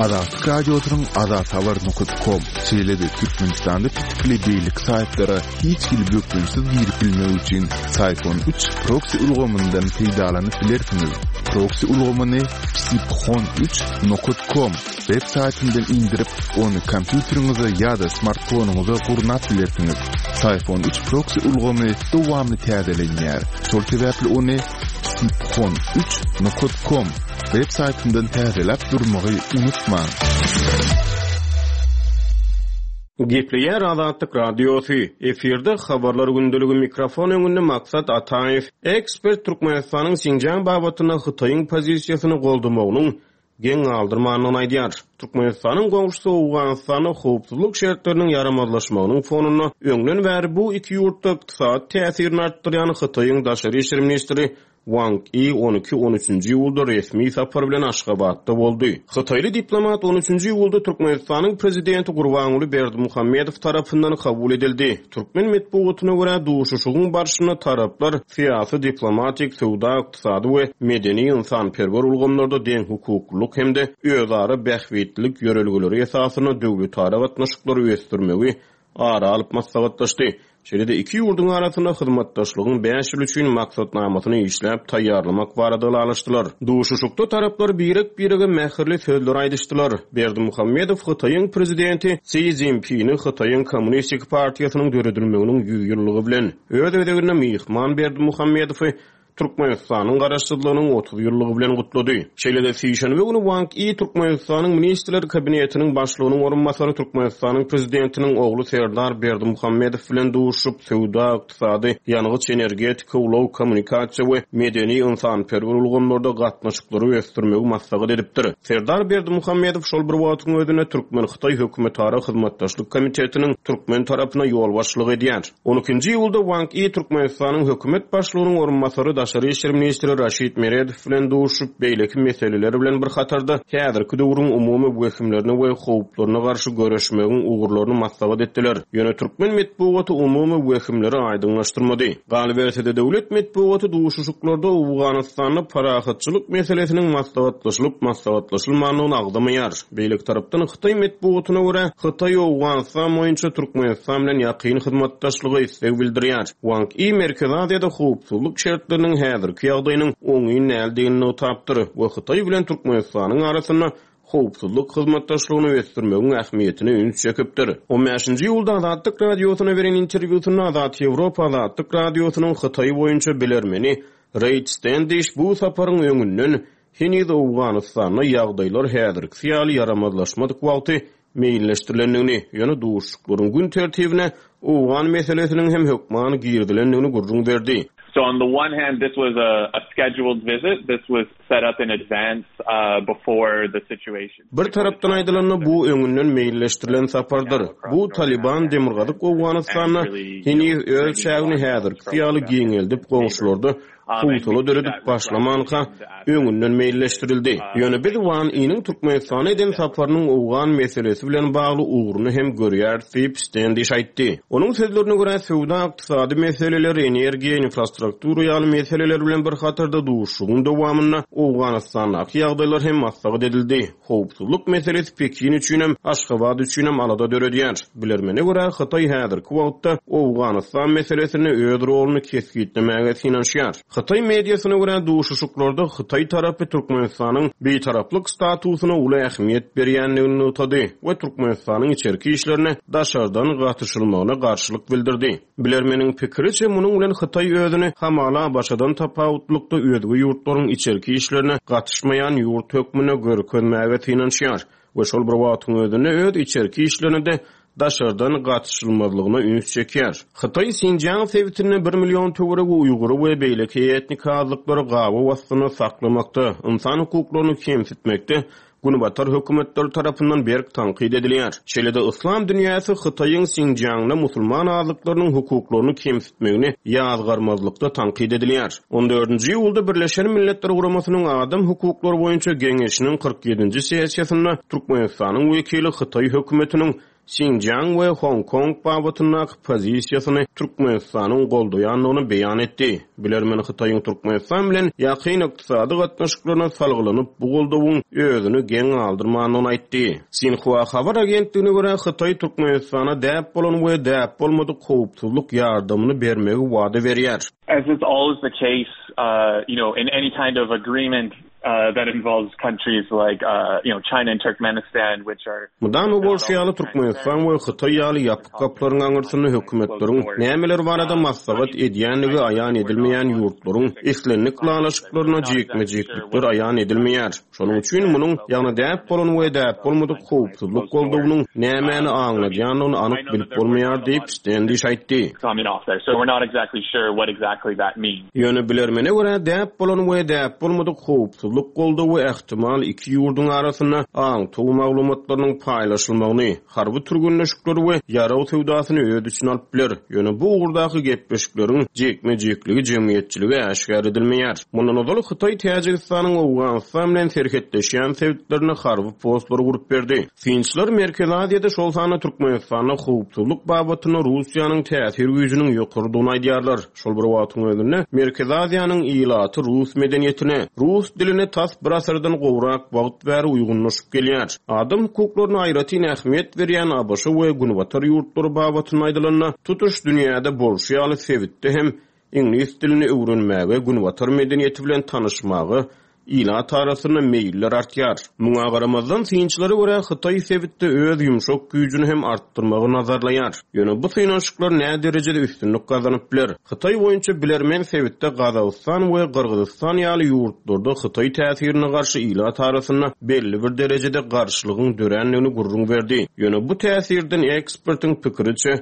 Azatlyk Radiosynyň azathabar nokat kom, şeýle-de Türkmenistanda petikli beýleki saýtlara hiç hili bökdençsiz girip bilmek üçin Syfon üç proksi ulgamyndan peýdalanyp bilersiňiz. Proksi ulgamyny psiphon üç nokat kom web saýtyndan indirip, ony kompýuteriňize ýa-da smartfonyňyza gurnap bilersiňiz. Syfon üç proksi ulgamy dowamly täzelenýär, şol sebäpli ony psiphon üç nokat kom web saýtyndan täzeläp durmagy unutmaň. Gepleýär Azatlyk Radiosy, efirde Habarlar gündeligi mikrofon öňünde Maksat Ataýew. Ekspert Türkmenistanyň Sinjiang babatynda Hytaýyň pozisiýasyny goldamagynyň geň galdyrmandygyny aýdýar. Türkmenistanyň goňşusy Owganystanda howpsuzlyk şertleriniň ýaramazlaşmagynyň fonunda öňden bäri bu iki ýurtda ykdysady täsirini artdyrýan Hytaýyň daşary işler ministri Wang I on iki, on üçünji iýulda resmi sapar bilen Aşgabatda boldy. Hytaýly diplomat on üçünji iýulda Türkmenistanyň Prezidenti Gurbanguly Berdimuhamedow tarapyndan kabul edildi. Türkmen metbugatyna görä, duşuşygyň barşynda taraplar syýasy-diplomatik, söwda-ykdysady we medeni-ynsanperwer ulgamlarda deňhukuklylyk hem-de özara bähbitlilik ýörelgeleri esasynda döwletara gatnaşyklary ösdürmegi ara alyp maslahatlaşdy. Şeýle-de iki ýurduň arasynda hyzmatdaşlygyň bäş ýyl üçin maksatnamasyny işläp taýýarlamak barada ylalaşdylar. Duşuşykda taraplar birek-birege mähirli sözler aýdyşdylar. Berdimuhamedow Hytaýyň Prezidenti Si Szinpini Hytaýyň Kommunistik partiýasynyň döredilmeginiň 100 ýyllygy bilen, öz gezeginde myhman Berdimuhamedowy Türkmenistanyň Garaşsyzlygynyň 30 ýyllygy bilen gutlady. Şeýle-de sişenbe güni Wang I Türkmenistanyň Ministrler Kabinetiniň Başlygynyň orunbasary Türkmenistanyň Prezidentiniň ogly Serdar Berdimuhamedow bilen duşuşyp, söwda, ykdysady, ýangyç-energetika, ulag, kommunikasiýa we medeni-ynsanperwer ulgamlarda gatnaşyklary ösdürmegi maslahat edipdir. Serdar Berdimuhamedow şol bir wagtyň özünde türkmen-hytaý hökümetara hyzmatdaşlyk komitetiniň türkmen tarapyna ýolbaşçylyk edýär. On ikinji iýulda Wang I Türkmenistanyň hökümet başlygynyň orunbasary, daşary işler ministri Raşid Meredow bilen duşuşyp, beýleki meseleler bilen bir hatarda, häzirki döwrüň umumy wehimlerine we howplaryna garşy göreşmegiň ugurlaryny maslahat etdiler. Ýöne türkmen metbugaty umumy wehimleri aýdyňlaşdyrmady. Galyberse-de, döwlet metbugaty duşuşyklarda Owganystanda parahatçylyk meselesiniň maslahatlaşylyp-maslahatlaşylmandygyny agzamaýar. Beýleki tarapdan, hytaý metbugatyna görä, Hytaý Owganystan boýunça Türkmenistan bilen ýakyn hyzmatdaşlyga isleg bildirýär. Wang I Merkezi Aziýada howpsuzlyk şertleriniň häzirki ýagdaýynyň oňyn däldigini nygtapdyr we Hytaý bilen Türkmenistanyň arasynda howpsuzlyk hyzmatdaşlygyny ösdürmegiň ähmiýetine üns çekipdir. On bäşinji iýulda Azatlyk Radiosyna beren interwýusynda Azat Ýewropa Azatlyk Radiosynyň Hytaý boýunça bilermeni Reýd Stendiş bu saparyň öňünden Heniz Owganystanda ýagdaýlar häzirkisi ýaly ýaramazlaşmadyk wagty meýilleşdirilendigini, ýöne duşuşyklaryň gün tertibine owgan meselesiniň hem hökman girizilendigini gürrüň berdi. So on the one hand this was a scheduled visit, this was set up in advance before the situation. Bir tarapdan aýdylanda bu öňünden meýilleşdirilen sapardyr. Bu Talyban Demirgazyk Owganystanda heniz öz çägini häzirkisi ýaly giňeldip goňşularda howsala döredip başlamanka, öňünden meýilleşdirildi. Ýöne biz Wan Iniň Türkmenistana eden saparynyň owgan meselesi bilen bagly ugruny hem görýäris diýip, Stendiş aýtdy. Onuň sözlerine görä, söwda-ykdysady meseleler, energiýa, infrastruktura ýaly meseleler bilen bir hatarda duşuşygyň dowamynda Owganystandaky ýagdaýlar hem maslahat edildi. Howpsuzlyk meselesi Pekin üçinem, Aşgabat üçinem alada döredýär. Bilermene görä, Hytaý häzirki wagtda Owganystan meselesinde öz roluny kesgitlemäge synanyşýar. Hytaý mediasyna görä, duşuşyklarda hytaý tarapy Türkmenistanyň bitaraplyk statusyna uly ähmiýet berýändigini nygtady we Türkmenistanyň içerki işlerine daşardan gatyşylmagyna garşylyk bildirdi. Bilermeniň pikiriçe, munuň bilen Hytaý özüni hamala ABŞ-dan tapawutlykda özge ýurtlaryň içerki işlerine gatyşmaýan ýurt hökmünde görkezmäge synanyşýar we şol bir wagtyň özünde öz içerki işlerine-de daşardan gatyşylmazlygyna üns çekýär. Hytaý Sinjiang sebitinde bir million töweregi uýgury we beýleki etnik azlyklary gabaw astynda saklamakda, ynsan hukuklaryny kemsitmekde Günbatar hökümetleri tarapyndan berk tankyt edilýär. Şeýle-de yslam dünýäsi Hytaýyň Sinjiangda musulman azlyklarynyň hukuklaryny kemsitmegini ýazgarmazlykda tankyt edilýär. On dördünji iýulda Birleşen Milletler Guramasynyň Adam hukuklary boýunça Geňeşiniň 47-nji sessiýasynda Türkmenistanyň wekili Hytaý hökümetiniň. Sinjiang we Hong Kong babatyndaky pozisiýasyny Türkmenistanyň goldaýandygyny beýan etdi. Bilermen Hytaýyň Türkmenistan bilen ýakyn ykdysady gatnaşyklaryna salgylanyp, bu goldawyň özüni geň galdyrmandygyny aýtdy. Sinhua habar agentligine görä, Hytaý Türkmenistana däp bolan we däp bolmadyk howpsuzlyk ýardamyny bermegi wada berýär. As is always the case, you know, in any kind of agreement that involves countries like, you know, China and Turkmenistan, which are. Mydama bolşy ýaly, Türkmenistan we Hytaý ýaly ýapyk gaplaryň aňyrsynda hökümetleriň nämeler barada maslahat edýändigi aýan edilmeýän ýurtlaryň islendik ylalaşyklaryna jikme-jiklikler aýan edilmeýär. Şonuň üçin munuň, ýagny däp bolan we däp bolmadyk howpsuzlyk goldawynyň nämäni aňladýandygyny anyk bilip bolmaýar diýip, Stendiş aýtdy. Ýöne bilermene görä, däp bolan we däp bolmadyk howpsuzlyk goldawy ähtimal iki ýurduň arasynda aňtaw maglumatlarynyň paýlaşylmagyny, harby türgenleşikleri we ýarag söwdasyny öz içine alyp biler. Ýöne bu ugurdaky gepleşikleriň jikme-jikligi jemgyýetçilige äşgär edilmeýär. Mundan ozal Hytaý Täjigistanyň Owganystan bilen serhetleşýän sebitlerinde harby postlary gurup berdi. Synçylar Merkezi Aziýada, şol sanda Türkmenistanda howpsuzlyk babatynda Russiýanyň täsir güýjüniň ýokarydygyny aýdýarlar. Şol bir wagtyň özünde, Merkezi Aziýanyň ilaty rus medeniýetine, rus diline tas bir asyrdan gowrak wagt bäri uýgunlaşyp gelýär. Adam hukuklaryna aýratyn ähmiýet berýän ABŞ we Günbatar ýurtlary babatynda aýdylanda, tutuş dünýäde bolşy ýaly sebitde hem iňlis dilini öwrenmäge, Günbatar medeniýeti bilen tanyşmaga Ilat arasynda meýiller artýar. Muňa garamazdan, synçylara görä, Hytaý sebitde öz ýumşak güýjüni hem artdyrmagy nazarlaýar. Ýöne bu synanyşyklar näderejede üstünlik gazanyp biler? Hytaý boýunça bilermen sebitde Gazagystan we Gyrgyzystan ýaly ýurtlarda Hytaý täsirine garşy ilat arasynda belli bir derejede garşylygyň dörändigini gürrüň berdi. Ýöne bu täsirden ekspertiň pikiriçe,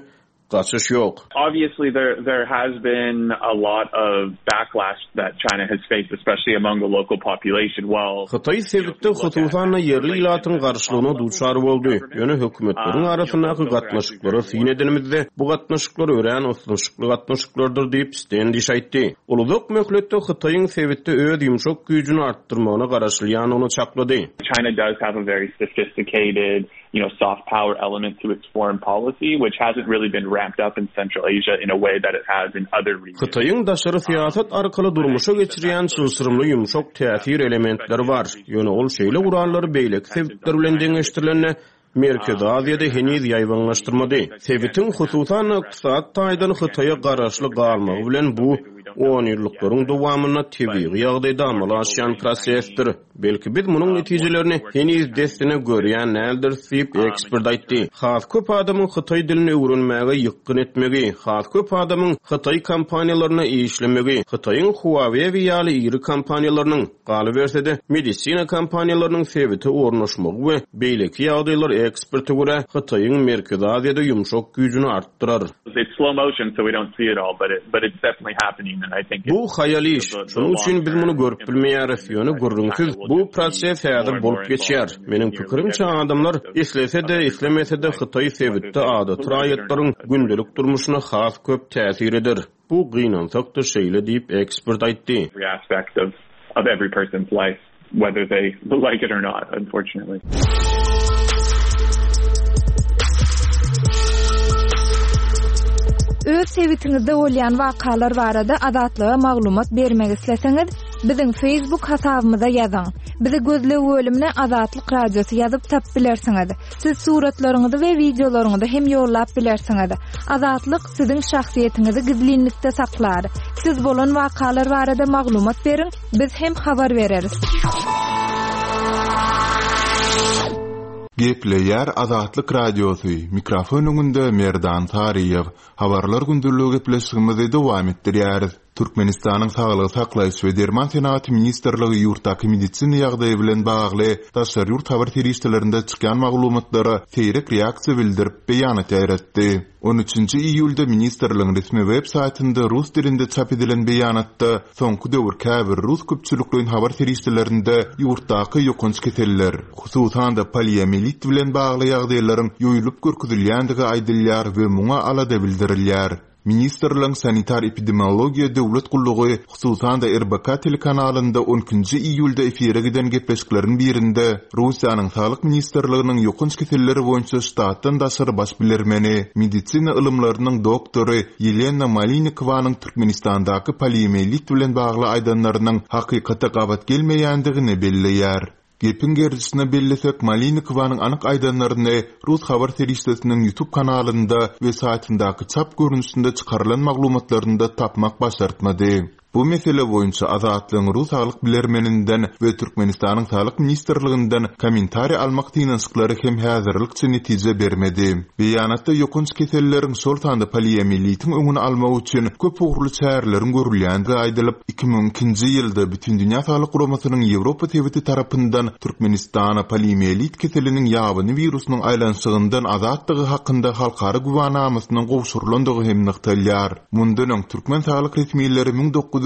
Gaçyş ýok. Obviously there there has been a lot of backlash that China has faced especially among the local population while Hytaý sebitde hususan-da ýerli ilatyň garşylygyna duçar boldy. Ýöne hökümetleriň arasyndaky gatnaşyklara syn edenimizde, bu gatnaşyklar örän ysnyşykly gatnaşyklardyr diýip, Stendiş aýtdy. Ol uzak möhletde Hytaýyň sebitde öz ýumşak güýjüni artdyrmagyna garaşylýandygyny çaklady. China does have a very sophisticated you know, soft power element to its foreign policy, which hasn't really been ramped up in Central Asia in a way that it has in other regions. Hytaýyň daşary syýasat arkaly durmuşa geçirýän çylşyrymly ýumşak täsir elementleri bar, ýöne ol şeýle gurallary beýleki sebitler bilen deňeşdirilende Merkezi Aziýada heniz ýaýbaňlaşdyrmady. Sebitiň, hususan-da, ykdysady taýdan Hytaýa garaşly galmagy bilen bu onýyllyklaryň dowamynda tebigy ýagdaýda amala aşýan prosesdir. Belki biz munuň netijelerini heniz dessine görýän däldiris diýip, ekspert aýtdy. Has köp adamyň hytaý dilini öwrenmäge ýykgyn etmegi, has köp adamyň hytaý kompaniýalarynda işlemegi, Hytaýyň Huawei ýaly iri kompaniýalarynyň, galyberse-de, medisina kompaniýalarynyň sebite ornaşmagy we beýleki ýagdaýlar eksperte görä, Hytaýyň Merkezi Aziýada ýumşak güýjüni artdyrar. Bu haýal iş, şonuň üçin biz muny görüp bilmeýäris, ýöne gürrüňsiz, bu proses häzir bolup geçýär. Meniň pikirimçe, adamlar islese-de, islemese-de Hytaý sebitde adaty raýatlaryň gündelik durmuşyna has köp täsir eder. Bu gynansak-da şeýle diýip, ekspert aýtdy. Whether they like it or not, unfortunately. Öz sebitiňizde bolýan wakalar barada Azatlyga maglumat bermek isleseňiz, biziň Facebook hasabymyza ýazyň. Bizi gözleg bölümine Azatlyk Radiosy ýazyp tapyp bilersiňiz. Siz suratlaryňyzy we wideolaryňyzy hem ýollap bilersiňiz. Azatlyk siziň şahsyýetiňizi gizlinlikde saklar. Siz bolan wakalar barada maglumat beriň, biz hem habar bereris. Gepleýär Azatlyk Radiosy, mikrofon öňünde Merdan Saryýew. Habarlar gündeligi gepleşigimizi dowam etdirýäris. Türkmenistanyň Saglygy saklaýyş we derman senagaty ministrligi ýurtdaky medisina ýagdaýy bilen bagly daşary ýurt habar serişdelerinde çykýan maglumatlara seýrek reaksiýa bildirip, beýanat ýaýratdy. On üçünji iýulda ministrligiň resmi web saýtynda rus dilinde çap edilen beýanatda soňky döwür käbir rus köpçülikleýin habar serişdelerinde ýurtdaky ýokanç keseller, hususan-da poliomiýelit bilen bagly ýagdaýlaryň ýoýulyp görkezilýändigi aýdylýar we muňa alada bildirilýär. Ministrligiň Sanitar-epidemiologiýa döwlet gullugy, hususan-da RBK telekanalynda on ikinji iýulda efire giden gepleşikleriň birinde Russiýanyň Saglyk ministrliginiň ýokanç keselleri boýunça ştatdan daşary baş bilermeni, medisina ylymlarynyň doktory Ýelena Malinikowanyň Türkmenistandaky poliomielit bilen bagly aýdanlarynyň hakykata gabat gelmeýändigini belleýär. Gepiň gerdişine bellesek, Malinikowanyň anyk aýdanlaryny rus habar serişdesiniň YouTube kanalynda we saýtyndaky çap görnüşinde çykarylan maglumatlarynda tapmak başartmady. Bu mesele boýunça Azatlygyň rus saglyk bilermeninden we Türkmenistanyň Saglyk ministrliginden kommentariý almak synanyşyklary hem häzirlikçe netije bermedi. Beýanatda ýokanç keselleriň, şol sanda poliomilitiň öňüni almak üçin köp ugurly çäreleriň görülýändigi aýdylyp, 2002-nji ýylda Bütindünýä Saglyk Guramasynyň Ýewropa sebiti tarapyndan Türkmenistana poliomiýelit keseliniň ýabany wirusynyň aýlanyşygyndan azatdygy hakynda halkara güwänamasynyň gowşurylandygy hem nygtalýar. Mundan öň, türkmen saglyk resmileri 1997-nji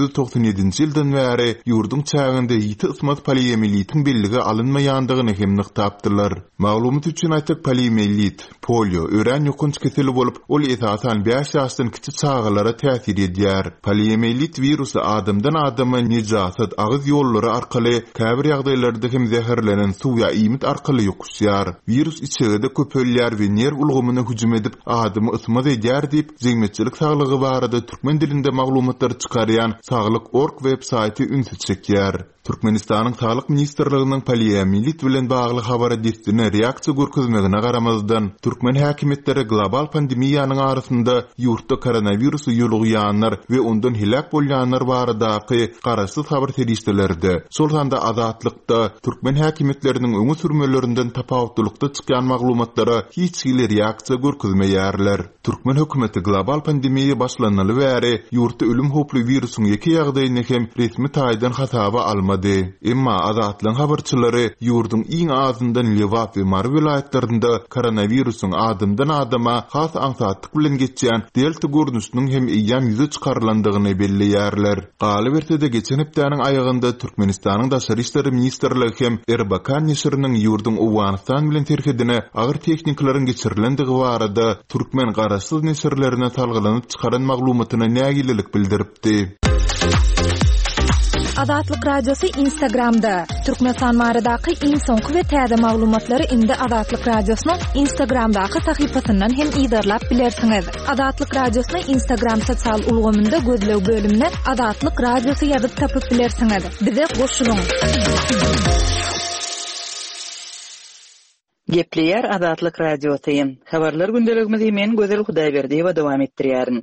ýyldan bäri ýurduň çäginde ýiti ysmaz poliomiýelitiň bellige alynmaýandygyny hem nygtapdylar. Maglumat üçin aýtsak, poliomiýelit, polio, örän ýokanç keseli bolup, ol esasan bäş ýaşdan kiçi çagalara täsir edýär. Poliomiýelit wirusy adamdan adama nejasat, agyz ýollary arkaly, käbir ýagdaýlarda hem zäherlenen suw ýa iýmit arkaly ýokuşýar. Wirus içegede köpelýär we nerw ulgamyna hüjüm edip, adamy ysmaz edýär diýip, jemgyýetçilik saglygy barada türkmen dilinde maglumatlary çykarýan Saglyk. Org web saýty ünsi çekýär. Türkmenistanyň Saglyk ministrliginiň poliomiýelit bilen bagly habara dessine reaksiýa görkezmegine garamazdan, türkmen häkimiýetleri global pandemiýanyň arasynda ýurtda koronawirusa ýolugýanlar we ondan heläk bolýanlar baradaky garaşsyz habar serişdelerde, şol sanda Azatlykda türkmen häkimiýetleriniň öňe sürmelerinden tapawutlylykda çykýan maglumatlara hiç hili reaksiýa görkezmeýärler. Türkmen hökümeti global pandemiýa başlanaly bäri ýurtda ölüm howply wirusyň ýeke ýagdaýyny hem resmi taýdan hasaba almady. Emma Azatlygyň habarçylary ýurduň iň azyndan Lebap we Mary welaýatlarynda koronawirusyň adamdan-adama has aňsatlyk bilen geçýän delta görnüşiniň hem eýýäm ýüze çykarylandygyny belleýärler. Galyberse-de, geçen hepdäniň aýagynda Türkmenistanyň Daşary işler ministrligi hem RBK neşiriniň ýurduň Owganystan bilen serhedine agyr tehnikalaryň geçirilendigi barada türkmen garaşsyz neşirlerine salgylanyp çykaran maglumatyna nägilelik bildiripdi. Azatlyk Radiosy Instagramda, Türkmenistan baradaky iň soňky we täze maglumatlary indi Azatlyk Radiosynyň Instagramdaky sahypasyndan hem yzarlap bilersiňiz. Azatlyk Radiosyny Instagram sosial ulgamynda gözleg bölümine Azatlyk Radiosy ýazyp tapyp bilersiňiz. Bize goşulyň! Gepleýär Azatlyk Radiosy. Habarlar gündeligimizi men Gözel Hudaýberdiýewa dowam etdirýärin.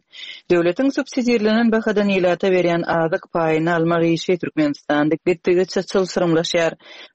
Döwletiň subsidirlenen bahadan ilata berýän azyk paýyny almak işi Türkmenistanda gitdigiçe çylşyrymlaşýar.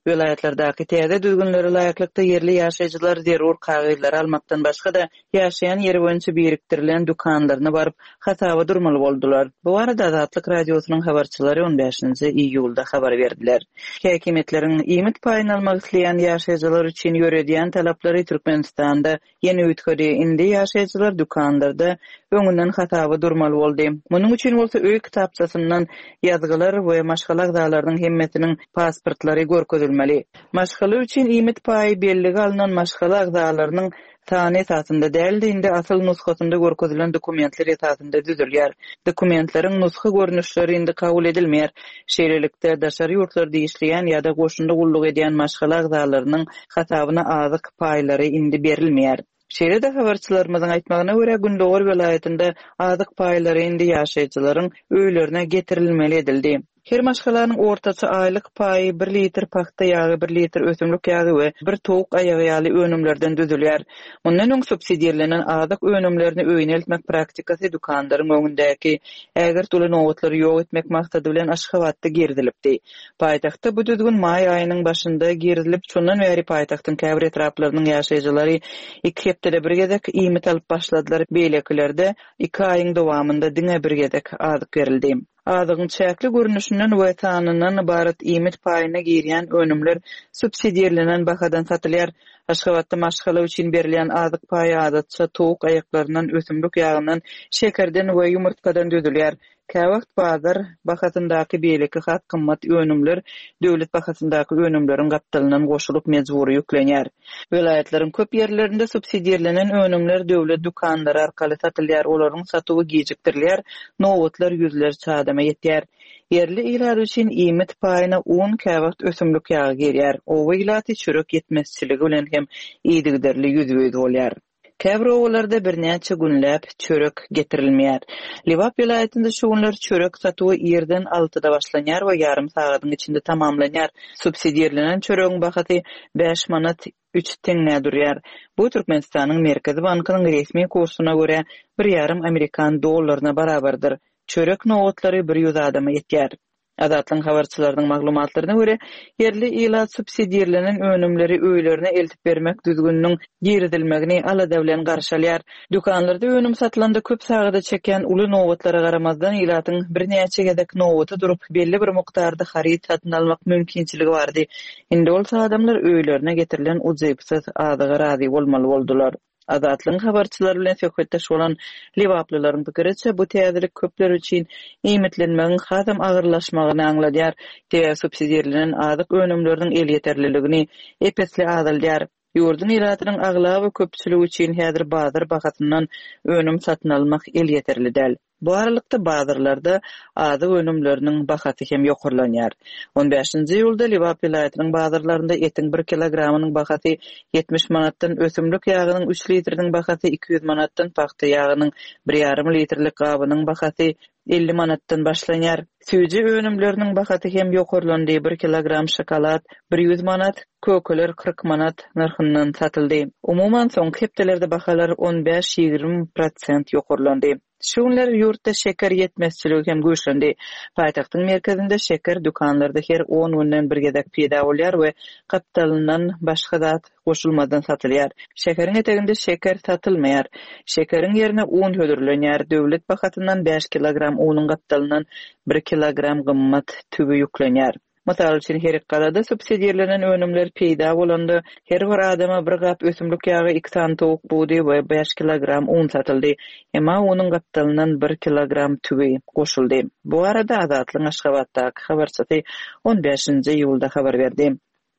Welaýatlardaky täze düzgünlere laýyklykda ýerli ýaşaýjylar zerur kagyzlary almakdan başga-da, ýaşaýan ýeri boýunça birikdirilen dükanlaryna baryp, hasaba durmaly boldular. Bu barada Azatlyk Radiosynyň habarçylary on bäşinji iýulda habar berdiler. Häkimiýetleriň iýmit paýyny almak isleýän ýaşaýjylar üçin ýöredýän talaplary Türkmenistanda ýene üýtgedi. Indi ýaşaýjylar dükanlarda öňünden hasaba durmaly boldy. Munuň üçin bolsa öý kitapçasyndan ýazgylar we maşgala agzalarynyň hemmesiniň pasportlary görkezilmeli. Maşgala üçin iýmit paýy bellige alnan maşgala agzalarynyň Sany esasynda däl-de, indi asyl nusgasynda görkezilen dokumentler esasynda düzülýär. Dokumentleriň nusga görnüşleri indi kabul edilmeýär. Şeýlelikde, daşary ýurtlarda işleýän ýa-da goşunda gulluk edýän maşgala agzalarynyň hasabyna azyk paýlary indi berilmeýär. Şeýle-de, habarçylarymyzyň aýtmagyna görä, gündogar welaýatynda azyk paýlary indi ýaşaýjylaryň öýlerine getirilmeli edildi. Her maşgalanyň ortaça aýlyk paýy bir litr pagta ýagy, bir litr ösümlik ýagy we bir towuk aýagy ýaly önümlerden düzülýär. Mundan öň subsidirlenen azyk önümlerini öýüne eltmek praktikasy dükanlaryň öňündäki ägirt uly nobatlary ýok etmek maksady bilen Aşgabatda girizilipdi. Paýtagtda bu düzgün maý aýynyň başynda girizilip, şondan bäri paýtagtyň käbir etraplarynyň ýaşaýjylary iki hepdede bir gezek iýmit alyp başladylar, beýlekilerde iki aýyň dowamynda diňe bir gezek azyk berildi. Azygyň çäkli görnüşinden we sanyndan ybarat iýmit paýyna girýän önümler subsidirlenen bahadan satylýar. Aşgabatda maşgala üçin berilýän azyk paýy adatça towuk aýaklaryndan, ösümlik ýagyndan, şekerden we ýumurtgadan düzülýär. Käwagt bazar bahasyndaky beýleki has gymmat önümler döwlet bahasyndaky önümleriň gapdalyndan goşulyp mejbury ýüklenýär. Welaýatlaryň köp ýerlerinde subsidirlenen önümler döwlet dükanlary arkaly satylýar, olaryň satuwy gijikdirilýär, nobatlar ýüzlerçe adama ýetýär. Ýerli ilat üçin iýmit paýyna un, käwagt ösümlik ýagy girýär. Oba ilaty çörek ýetmezçiligi bilen hem yzygiderli ýüzbe-ýüz bolýar. Käbir obalarda birnäçe günläp çörek getirilmeýär. Lebap welaýatynda şu günler çörek satuwy irden altyda başlanýar we ýarym sagadyň içinde tamamlanýar. Subsidirlenen çöregiň bahasy bäş manat üç teňňä durýar. Bu Türkmenistanyň Merkezi bankynyň resmi kursuna görä bir ýarym amerikan dollaryna barabardyr. Çörek nobatlary bir ýüz adama ýetýär. Azatlygyň habarçylarynyň maglumatlaryna görä, ýerli ilat subsidirlenen önümleri öýlerine eltip bermek düzgüniniň girizilmegini alada bilen garşy alýar. Dükanlarda önüm satylanda köp sagada çekýän uly nobatlara garamazdan, ilatyň birnäçe gezek nobata durup, belli bir mukdarda haryt satyn almak mümkinçiligi bardy. Indi bolsa adamlar öýlerine getirilen ujypsyz azyga razy bolmaly boldular. Azatlygyň habarçylary bilen söhbetdeş bolan lebaplylaryň pikiriçe, bu täzelik köpler üçin iýmitlenmegiň hasam agyrlaşmagyny aňladýar, sebäbi subsidirlenen azyk önümleriniň elýeterliligini ep-esli azaldýar. Ýurduň ilatynyň aglaba köpçüligi üçin häzir bazar bahasyndan önüm satyn almak elýeterli däl. Bu aralykda, bazarlarda azyk önümleriniň bahasy hem ýokarlanýar. On bäşinji iýulda Lebap welaýatynyň bazarlarynda etiň bir kilogramynyň bahasy 70 manatdan, ösümlik ýagynyň üç litriniň bahasy 200 manatdan, pagta ýagynyň bir ýarym litrlik gabynyň bahasy 50 manatdan başlanýar. Süýji önümleriniň bahasy hem ýokarlandy, bir kilogram şokolad bir ýüz manat, kökeler 40 manat nyrhyndan satyldy. Umuman, soňky hepdelerde bahalar on bäş-ýigrimi prosent ýokarlandy. Şu günler ýurtda şeker ýetmezçiligi hem güýçlendi. Paýtagtyň merkezinde şeker dükanlarda her on günden bir gezek peýda bolýar we gapdalyndan başga zat goşulmazdan satylýar. Şäheriň eteginde şeker satylmaýar. Şekeriň ýerine un hödürlenýär. Döwlet bahasyndan bäş kilogram unuň gapdalyndan bir kilogram gymmat tüwi ýüklenýär. Mysal üçin, Herikgalada subsidirlenen önümler peýda bolanda, her bir adama bir gap ösümlik ýagy, iki sany towuk budy we bäş kilogram un satyldy. Emma unuň gapdalyndan bir kilogram tüwi goşuldy. Bu barada Azatlygyň Aşgabatdaky habarçysy on bäşinji iýulda habar berdi.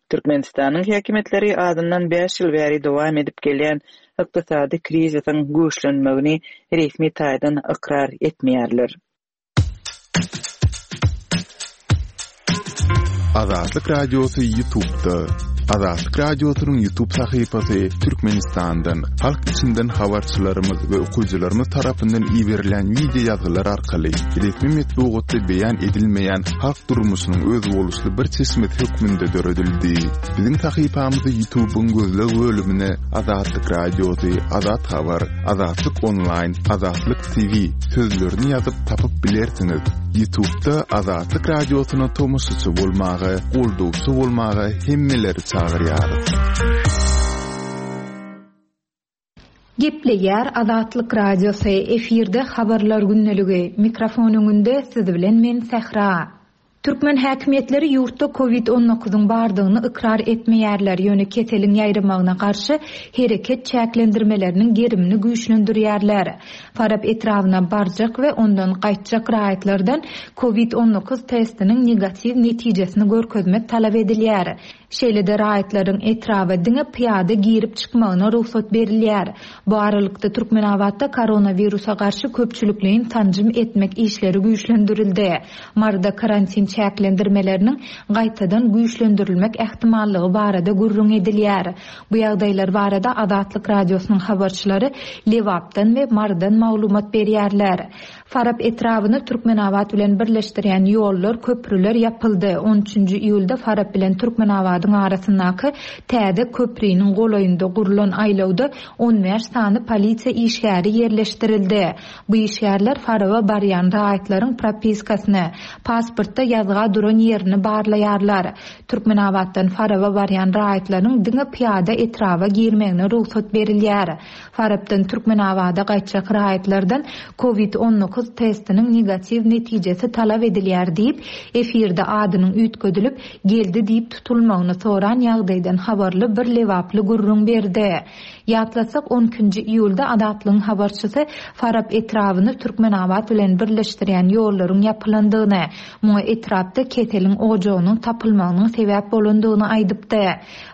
Türkmenistanyň häkimiýetleri azyndan bäş ýyl bäri dowam edip gelýän ykdysady krizisiň güýçlenmegini resmi taýdan ykrar etmeýärler. Azatlyk Radiosy YouTube'da. Azatlyk Radiosynyň YouTube sahypasy Türkmenistandan, halk içinden habarçylarymyz we okyjylarymyz tarapyndan iberilen wideo ýazgylar arkaly resmi metbugatda beýan edilmeýän halk durmuşynyň özboluşly bir çeşmesi hökmünde döredildi. Biziň sahypamyzy YouTube'yň gözleg bölümine Azatlyk Radiosy, Azat Habar, Azatlyk Onlaýn, Azatlyk TV sözlerini ýazyp tapyp bilersiňiz. Ýutubda Azatlyk Radiosyna tomaşaçy bolmaga, goldawçy bolmaga hemmeleri çagyrýarys. Gepleýär Azatlyk Radiosy, efirde Habarlar gündeligi, mikrofon öňünde siz bilen men Sähra. Türkmen häkimiýetleri ýurtda Covid on dokuzyň bardygyny ykrar etmeýärler, ýöne keseliň ýaýramagyna garşy hereket çäklendirmeleriniň gerimini güýçlendirýärler. Farap etrabyna barjak we ondan gaýtjak raýatlardan Covid 19 testiniň negatiw netijesini görkezmek talap edilýär. Şeýle-de raýatlaryň etraba diňe pyýada girip-çykmagyna rugsat berilýär. Bu aralykda, Türkmenabatda koronawirusa garşy köpçülikleýin sanjym etmek işleri güýçlendirildi. Maryda karantin çäklendirmeleriniň gaýtadan güýçlendirilmek ähtimallygy barada gürrüň edilýär. Bu ýagdaýlar barada Azatlyk Radiosynyň habarçylary Lebapdan we Marydan maglumat berýärler. Farap etrabyny Türkmenabat bilen birleşdirýän ýollar, köprüler ýapyldy. On üçünji iýulda Farap bilen Türkmenabadyň arasyndaky täze köpriniň golaýynda gurlan aýlawda on bäş sany polisiýa işgäri ýerleşdirildi. Bu işgärler Faraba barýan raýatlaryň propiskasyny, pasportda ýazga duran ýerini barlaýarlar. Türkmenabatdan Faraba barýan raýatlaryň diňe pyýada etraba girmegine rugsat berilýär. Farapdan Türkmenabada gaýtjak raýatlardan Covid 19. dokuz testiniň negatiw netijesi talap edilýär diýip, efirde adynyň üýtgedilip, Geldi diýip tutulmagyny soran ýagdaýdan habarly bir lebaply gürrüň berdi. Ýatlatsak, on ikinji iýulda Azatlygyň habarçysy Farap etrabyny Türkmenabat bilen birleşdirýän ýollaryň ýapylandygyny, muňa etrapda keseliň ojagynyň tapylmagynyň sebäp bolandygyny aýdypdy.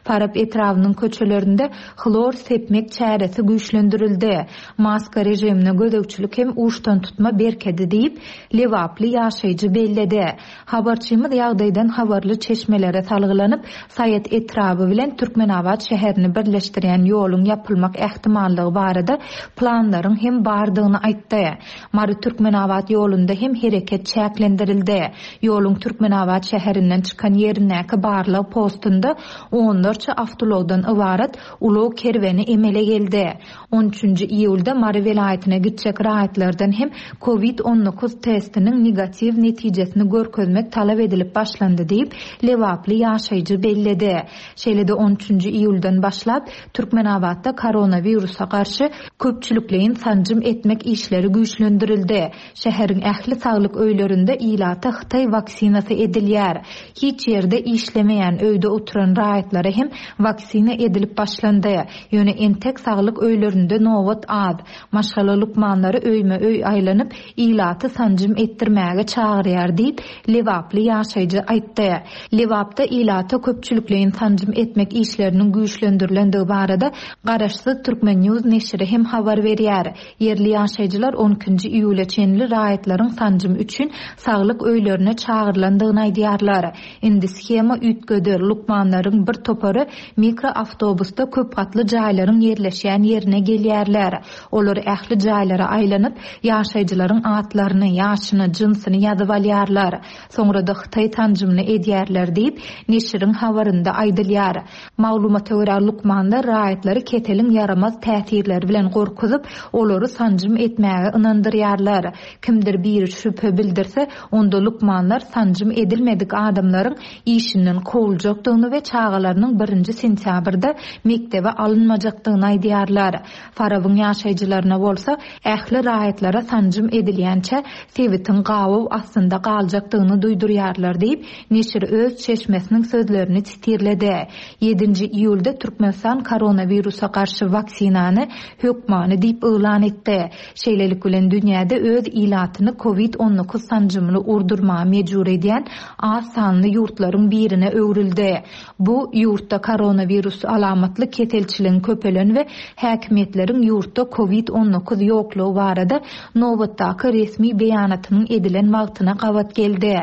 Farap etrabynyň köçelerinde hlor sepmek çäresi güýçlendirildi. Maska režimine gözegçilik hem uçdantutma berkedi diýip, lebaply ýaşaýjy belledi. Habarçymyz ýagdaýdan habarly çeşmelere salgylanyp, Saýat etraby bilen Türkmenabat şäherini birleşdirýän ýoluň ýapylmak ähtimallygy barada planlaryň hem bardygyny aýtdy. Mary-Türkmenabat ýolunda hem hereket çäklendirildi. Ýoluň Türkmenabat şäherinden çykan ýerindäki barlag postunda onlarça awtoulagdan ybarat ulag kerweni emele geldi. On üçünji iýulda Mary welaýatyna gitjek raýatlardan hem Covid 19 testiniň negatiw netijesini görkezmek talap edilip başlandy diýip, lebaply ýaşaýjy belledi. Şeýle-de on üçünji iýuldan başlap, Türkmenabatda koronawirusa garşy köpçülikleýin sanjym etmek işleri güýçlendirildi. Şäheriň ähli saglyk öýlerinde ilata hytaý waksinasy edilýär. Hiç ýerde işlemeýän, öýde oturan raýatlara hem waksina edilip başlandy. Ýöne entek saglyk öýlerinde nobat az. Maşgala lukmanlary öýme-öý aýlanyp, ilaty sanjym etdirmäge çagyrýar diýip, lebaply ýaşaýjy aýtdy. Lebapda ilata köpçülikleýin sanjym etmek işleriniň güýçlendirilendigi barada garaşsyz Turkmen. News neşiri hem habar berýär. Ýerli ýaşaýjylar on ikinji iýula çenli raýatlaryň sanjym üçin saglyk öýlerine çagyrylandygyny aýdýarlar. Indi shema üýtgedi, lukmanlaryň bir topary mikroawtobusda köp gatly jaýlaryň ýerleşýän ýerine gelýärler. Olar ähli jaýlara aýlanyp, ýaşaýjylaryň atlaryny, ýaşyny, jynsyny ýazyp alýarlar. Soňra-da hytaý sanjymyny edýärler diýip, neşiriň habarynda aýdylýar. Maglumata görä, lukmanlar raýatlary keseliň ýaramaz täsirleri bilen gorkuzyp, olary sanjym etmäge ynandyrýarlar. Kimdir biri şübhe bildirse, onda lukmanlar sanjym edilmedik adamlaryň işinden kowuljakdygyny we çagalarynyň birinji sentýabrda mekdebe alynmajakdygyny aýdýarlar. Farabyň ýaşaýjylaryna bolsa, ähli raýatlara sanjym edilýänçä sebitiň gabaw astynda galjakdygyny duýdurýarlar diýip, neşir öz çeşmesiniň sözlerini sitirledi. Ýedinji iýulda Türkmenistan koronawirusa garşy waksinany hökmany diýip yglan etdi. Şeýlelik bilen, dünýäde öz ilatyny covid 19 sanjymyny urdurmaga mejbur edýän az sanly ýurtlaryň birine öwrüldi. Bu, ýurtda koronawirus alamatly keselçiligiň köpelen we häkimiýetleriň ýurtda covid 19 ýoklugy barada nobatdaky resmi beýanatynyň edilen wagtyna gabat geldi.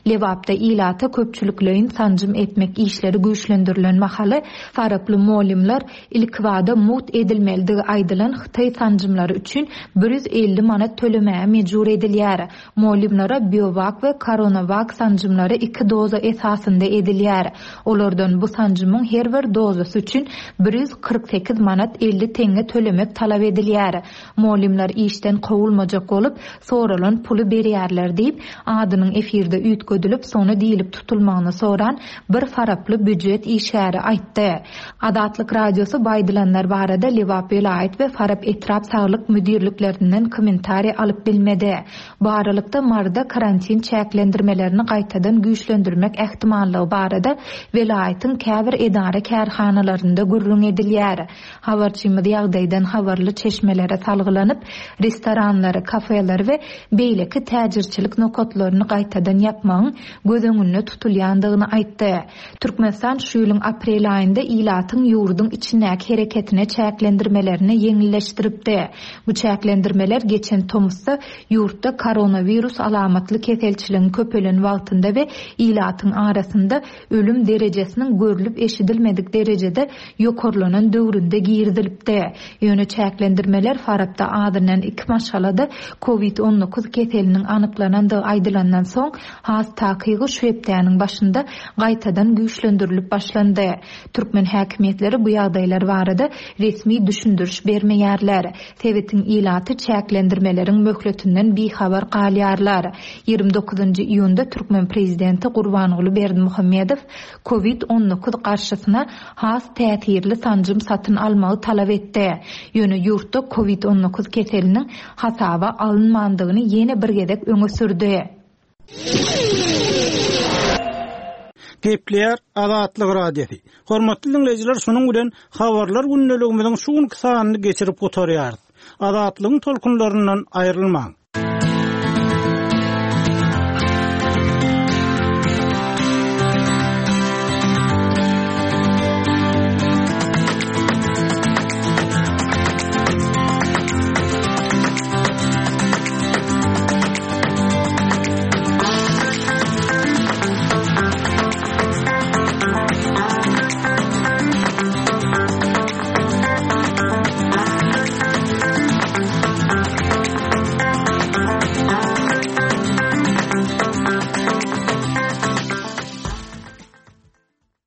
Lebapda ilata köpçülikleýin sanjym etmek işleri güýçlendirilen mahaly, faraply mugallymlar ilkibada mugt edilmelidigi aýdylan hytaý sanjymlary üçin 150 manat tölemäge mejbur edilýär. Mugallymlara Biowak we Koronawak sanjymlary iki doza esasynda edilýär. Olardan bu sanjymyň her bir dozasy üçin 148 manat 50 teňňe tölemek talap edilýär. Mugallymlar işden kowulmajak bolup, soralan puly berýärler diýip, adynyň efirde üýtgedilip, Sona diýlip tutulmagyny soran bir faraply býujet işgäri aýtdy. Azatlyk Radiosy bu aýdylanlar barada Lebap welaýat we Farap etrap saglyk müdirliklerinden kommentariý alyp bilmedi. Bu aralykda, Maryda karantin çäklendirmelerini gaýtadan güýçlendirmek ähtimallygy barada welaýatyň käbir edara-kärhanalarynda gürrüň edilýär. Habarçymyz ýagdaýdan habarly çeşmelere salgylanyp, restoranlary, kafeleri we beýleki täjirçilik nokatlaryny gaýtadan ýapmagyň göz öňünde tutulýandygyny aýtdy. Türkmenistan şu ýylyň aprel aýynda ilatyň ýurduň içindäki hereketine çäklendirmelerini ýeňilleşdiripdi. Bu çäklendirmeler geçen tomusda ýurtda koronawirus alamatly keselçiligiň köpelen wagtynda we ilatyň arasynda ölüm derejesiniň görlüp-eşidilmedik derejede ýokarlanan döwründe girizilipdi. Ýöne çäklendirmeler Farapda azyndan iki maşgalada covid 19 keseliniň anyklanandygy aýdylandan soň, has takygy şu hepdäniň başynda gaýtadan güýçlendirilip başlandy. Türkmen häkimiýetleri bu ýagdaýlar barada resmi düşündiriş bermeýärler. Sebitiň ilaty çäklendirmeleriň möhletinden bihabar galýarlar. 29-njy iýunda türkmen prezidenti Gurbanguly Berdimuhamedow covid 19 garşysyna has täsirli sanjym satyn almagy talap etdi. Ýöne ýurtda covid 19 keseliniň hasaba. alynmandygyny ýene bir gezek öňe sürdi. Gepleýär Azatlyk Radiosy. Hormatly diňleýjiler, şunuň bilen Habarlar gündeligimiziň şu günki sanyny geçirip gutarýarys. Azatlygyň tolkunlaryndan aýrylmaň!